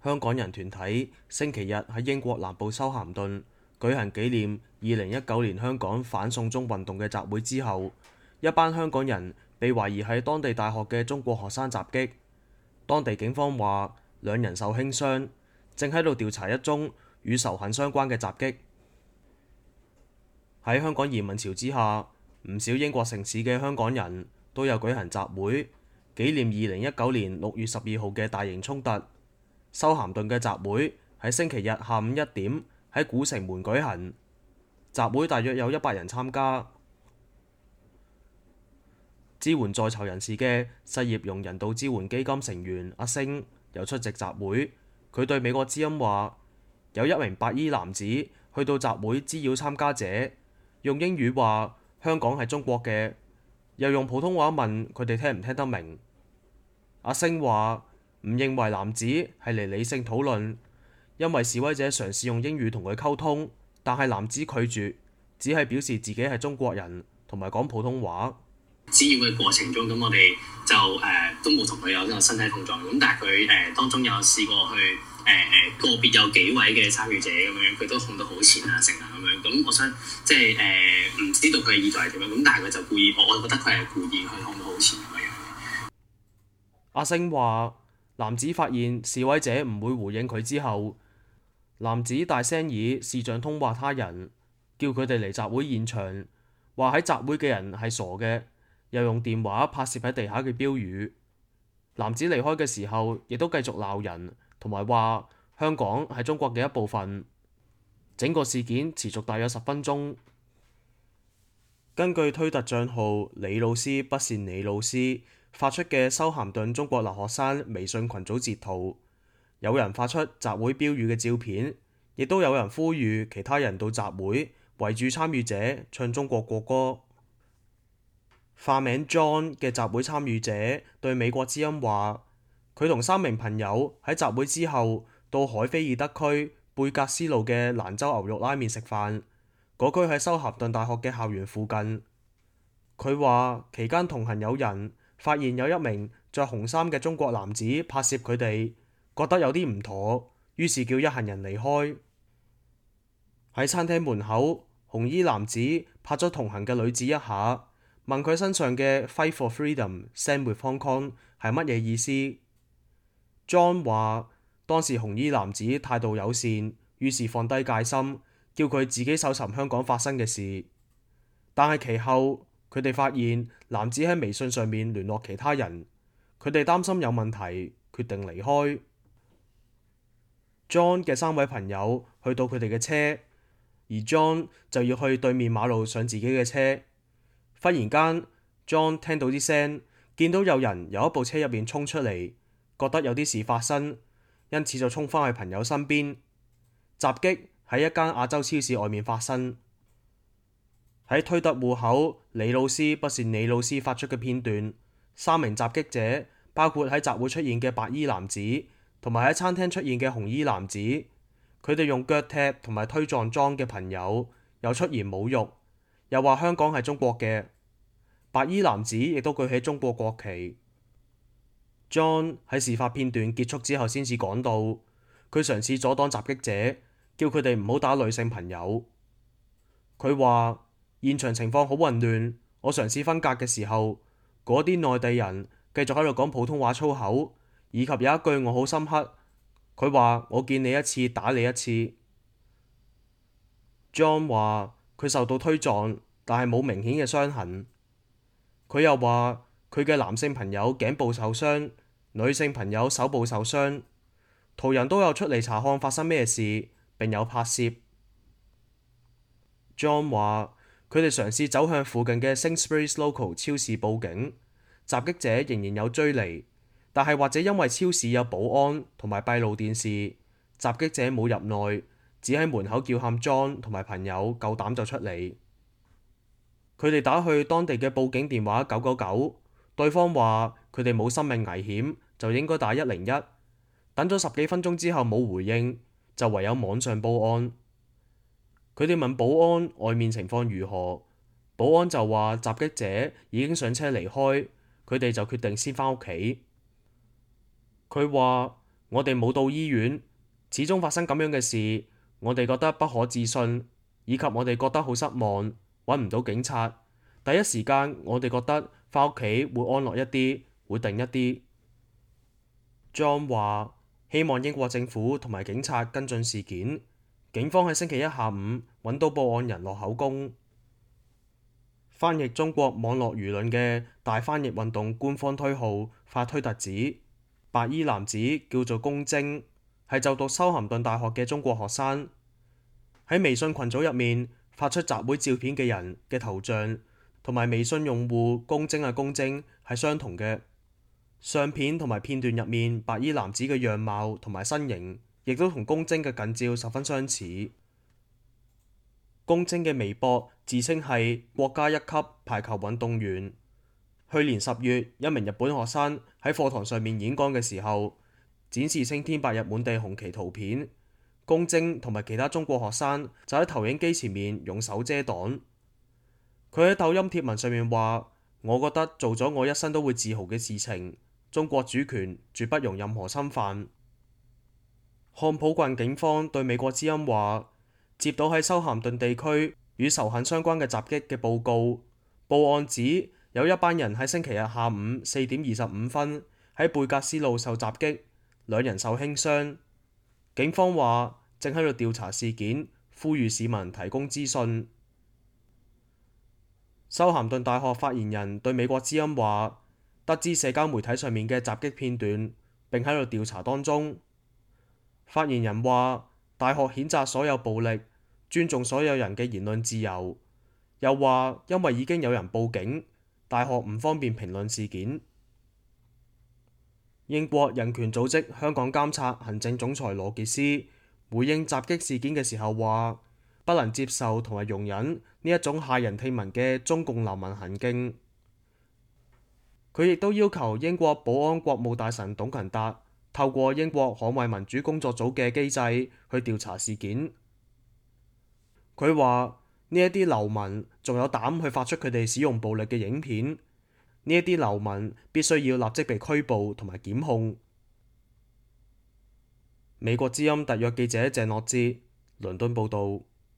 香港人團體星期日喺英國南部修咸頓舉行紀念2019年香港反送中運動嘅集會之後，一班香港人被懷疑喺當地大學嘅中國學生襲擊。當地警方話2人受輕傷，正喺度調查一宗與仇恨相關嘅襲擊。喺香港移民潮之下，唔少英國城市嘅香港人都有舉行集會，紀念2019年6月12號嘅大型衝突。修咸頓嘅集會喺星期日下午1點喺古城門舉行，集會大約有100人參加。支援在囚人士嘅失業用人道支援基金成員阿星有出席集會，佢對美國之音話：有1名白衣男子去到集會滋擾參加者，用英語話香港係中國嘅，又用普通話問佢哋聽唔聽得明。阿星話唔認為男子係嚟理性討論，因為示威者嘗試用英語同佢溝通，但係男子拒絕，只係表示自己係中國人同埋講普通話。滋擾嘅過程中，咁我哋就都冇同佢有呢個身體碰撞，咁但係佢當中有試過去個別有幾位嘅參與者咁樣，佢都控到好前啊，成啊咁樣。咁我想即係唔知道佢嘅意圖係點樣，咁但係佢就故意，我覺得佢係故意去控到好前咁樣。阿星話：男子發現示威者唔會回應佢之後，男子大聲以視像通話他人，叫佢哋嚟集會現場，話喺集會嘅人係傻嘅。又用電話拍攝喺地下嘅標語。男子離開嘅時候，亦都繼續鬧人，同埋話香港係中國嘅一部分。整個事件持續大約10分鐘。根據推特帳號李老師不是你老師發出嘅修咸頓中國留學生微信群組截圖，有人發出集會標語嘅照片，亦都有人呼籲其他人到集會圍住參與者唱中國國歌。化名 John 嘅集會參與者對美國之音話：佢同3名朋友喺集會之後到海菲爾德區貝格斯路嘅蘭州牛肉拉麵食飯，嗰區喺修咸頓大學嘅校園附近。佢話期間同行有人發現有一名着紅衫嘅中國男子拍攝佢哋，覺得有啲唔妥，於是叫一行人離開。喺餐廳門口，紅衣男子拍咗同行嘅女子一下，問佢身上嘅 Fight for Freedom, Stand with Hong Kong 係乜嘢意思。John 話當時紅衣男子態度友善，於是放低戒心，叫佢自己搜尋香港發生嘅事。但係其後佢哋發現男子喺微信上面聯絡其他人，佢哋擔心有問題，決定離開。John 嘅3位朋友去到佢哋嘅車，而 John 就要去對面馬路上自己嘅車。忽然間 John 聽到啲聲，見到有人由一部車入面衝出嚟，覺得有啲事發生，因此就衝返去朋友身邊。襲擊喺一間亞洲超市外面發生。喺推特戶口李老師不是你老師發出嘅片段，3名襲擊者包括喺集會出現嘅白衣男子，同埋喺餐廳出現嘅紅衣男子。佢哋用腳踢同埋推撞John嘅朋友，又出言侮辱，又話香港係中國嘅。白衣男子亦都舉起中國國旗。John 喺事發片段結束之後先至講到，佢嘗試阻擋襲擊者，叫佢哋唔好打女性朋友。佢話現場情況好混亂，我嘗試分隔嘅時候，嗰啲內地人繼續喺度講普通話粗口，以及有一句我好深刻，佢話我見你一次打你一次。John 話佢受到推撞，但係冇明顯嘅傷痕。佢又話佢嘅男性朋友頸部受傷，女性朋友手部受傷。途人都有出嚟查看發生咩事，並有拍攝。John 話佢哋嘗試走向附近嘅 Sainsbury's Local 超市報警，襲擊者仍然有追離，但係或者因為超市有保安同埋閉路電視，襲擊者冇入內，只喺門口叫喊 John 同埋朋友夠膽就出嚟。佢哋打去當地嘅報警電話999，對方話佢哋冇生命危險，就應該打101。等咗10幾分鐘之後冇回應，就唯有網上報案。佢哋問保安外面情況如何，保安就話襲擊者已經上車離開，佢哋就決定先返屋企。佢話我哋冇到醫院，始終發生咁樣嘅事，我哋覺得不可置信，以及我哋覺得好失望，揾唔到警察。第一時間我哋覺得返屋企會安樂一啲，會定一啲。John 話希望英國政府同埋警察跟進事件。警方喺星期一下午揾到報案人落口供。翻譯中國網絡輿論嘅大翻譯運動官方推號發推特指，白衣男子叫做龔晶，係就讀修咸頓大學嘅中國學生。喺微信群組入面發出集會照片嘅人嘅頭像同埋微信用戶龔晶嘅龔晶係相同嘅。相片同埋片段入面白衣男子嘅樣貌同埋身形，亦都同龔晶嘅近照十分相似。龔晶嘅微博自稱係國家一級排球運動員。去年10月，一名日本學生喺課堂上面演講嘅時候，展示青天白日滿地紅旗圖片。龔晶同埋其他中國學生就喺投影機前面用手遮擋。佢喺抖音貼文上面話：我覺得做咗我一生都會自豪嘅事情。中國主權絕不容任何侵犯。漢普郡警方對美國之音話，接到喺修咸頓地區與仇恨相關嘅襲擊嘅報告，報案指有一班人喺星期日下午4點25分喺貝格斯路受襲擊，2人受輕傷。警方話正喺度調查事件，呼籲市民提供資訊。修咸頓大學發言人對美國之音話，得知社交媒體上面嘅襲擊片段，並喺度調查當中。發言人話，大學譴責所有暴力，尊重所有人嘅言論自由。又話因為已經有人報警，大學唔方便評論事件。英國人權組織香港監察行政總裁羅傑斯回應襲擊事件嘅時候話，不能接受同埋容忍呢一種駭人聽聞嘅中共流氓行徑。佢亦都要求英國保安國務大臣董勤達透過英國捍衛民主工作組嘅機制去調查事件。佢話呢一啲流民仲有膽去發出佢哋使用暴力嘅影片，呢一啲流民必須要立即被拘捕同埋檢控。美國之音特約記者鄭樂哲，倫敦報導。